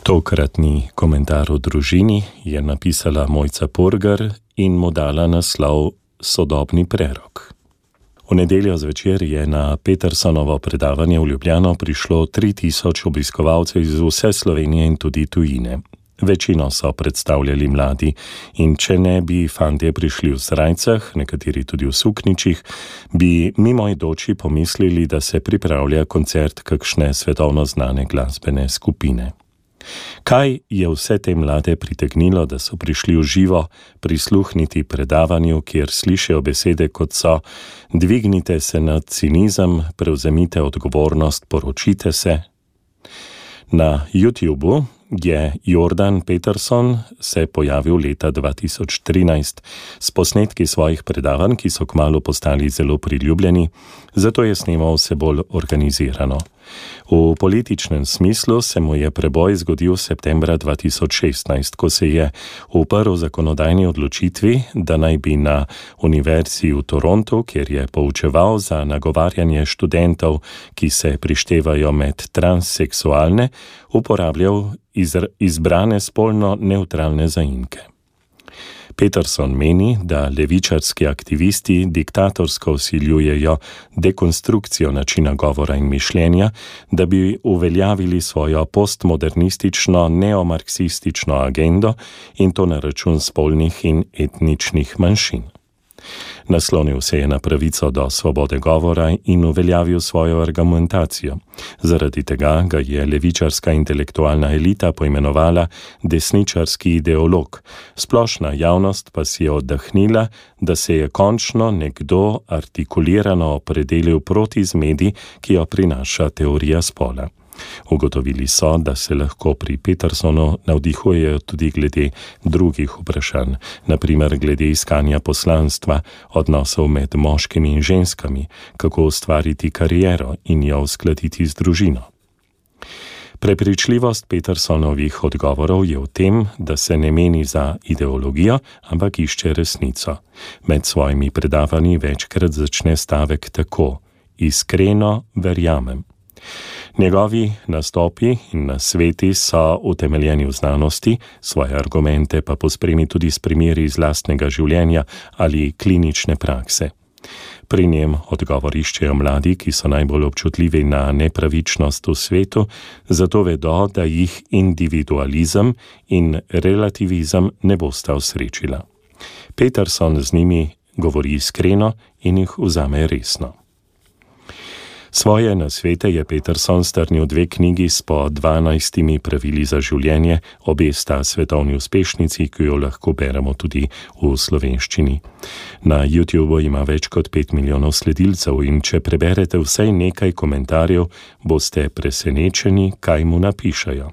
Tokratni komentar o družini je napisala Mojca Purgar in mu dala naslov Sodobni prerok. V nedeljo zvečer je na Petersonovo predavanje v Ljubljano prišlo 3000 obiskovalcev iz vse Slovenije in tudi tujine. Večino so predstavljali mladi in če ne bi fantje prišli v srajcah, nekateri tudi v sukničih, bi mimoidoči pomislili, da se pripravlja koncert kakšne svetovno znane glasbene skupine. Kaj je vse te mlade pritegnilo, da so prišli v živo prisluhniti predavanju, kjer slišijo besede kot so: dvignite se nad cinizem, prevzemite odgovornost, poročite se? Na YouTubu je Jordan Peterson se pojavil leta 2013 s posnetki svojih predavanj, ki so kmalu postali zelo priljubljeni, zato je snemal vse bolj organizirano. V političnem smislu se mu je preboj zgodil septembra 2016, ko se je uprl zakonodajni odločitvi, da naj bi na Univerzi v Torontu, kjer je poučeval za nagovarjanje študentov, ki se prištevajo med transseksualne, uporabljal izbrane spolno nevtralne zaimke. Peterson meni, da levičarski aktivisti diktatorsko vsiljujejo dekonstrukcijo načina govora in mišljenja, da bi uveljavili svojo postmodernistično neomarksistično agendo in to na račun spolnih in etničnih manjšin. Naslonil se je na pravico do svobode govora in uveljavil svojo argumentacijo. Zaradi tega ga je levičarska intelektualna elita poimenovala desničarski ideolog. Splošna javnost pa si je oddahnila, da se je končno nekdo artikulirano opredelil proti zmedi, ki jo prinaša teorija spola. Ugotovili so, da se lahko pri Petersonu navdihujejo tudi glede drugih vprašanj, na primer glede iskanja poslanstva, odnosov med moškimi in ženskami, kako ustvariti kariero in jo uskladiti z družino. Prepričljivost Petersonovih odgovorov je v tem, da se ne meni za ideologijo, ampak išče resnico. Med svojimi predavanji večkrat začne stavek tako: iskreno verjamem. Njegovi nastopi in nasveti so utemeljeni v znanosti, svoje argumente pa pospremi tudi s primeri iz lastnega življenja ali klinične prakse. Pri njem odgovor iščejo mladi, ki so najbolj občutljivi na nepravičnost v svetu, zato vedo, da jih individualizem in relativizem ne bosta osrečila. Peterson z njimi govori iskreno in jih vzame resno. Svoje nasvete je Peterson strnil v 2 knjigi s po 12 pravili za življenje, obe sta svetovni uspešnici, ki jo lahko beremo tudi v slovenščini. Na YouTubu ima več kot 5 milijonov sledilcev in če preberete vsaj nekaj komentarjev, boste presenečeni, kaj mu napišajo.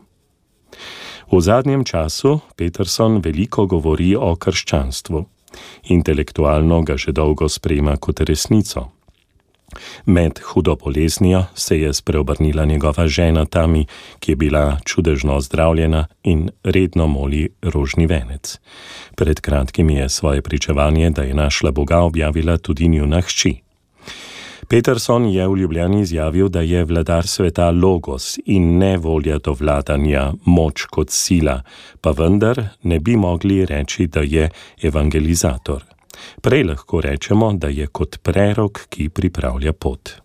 V zadnjem času Peterson veliko govori o krščanstvu. Intelektualno ga že dolgo sprejema kot resnico. Med hudo boleznijo se je spreobrnila njegova žena Tami, ki je bila čudežno ozdravljena in redno moli rožni venec. Pred kratkim je svoje pričevanje, da je našla Boga, objavila tudi njuna hči. Peterson je v Ljubljani izjavil, da je vladar sveta logos in ne volja do vladanja, moč kot sila, pa vendar ne bi mogli reči, da je evangelizator. Prej lahko rečemo, da je kot prerok, ki pripravlja pot.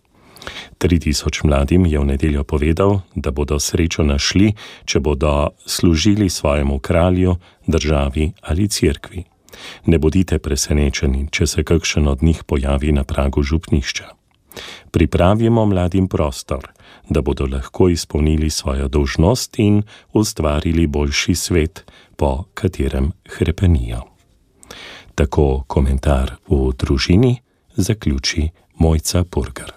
3000 mladim je v nedeljo povedal, da bodo srečo našli, če bodo služili svojemu kralju, državi ali cerkvi. Ne bodite presenečeni, če se kakšen od njih pojavi na pragu župnišča. Pripravimo mladim prostor, da bodo lahko izpolnili svojo dolžnost in ustvarili boljši svet, po katerem hrepenijo. Tako komentar v družini zaključi Mojca Purgar.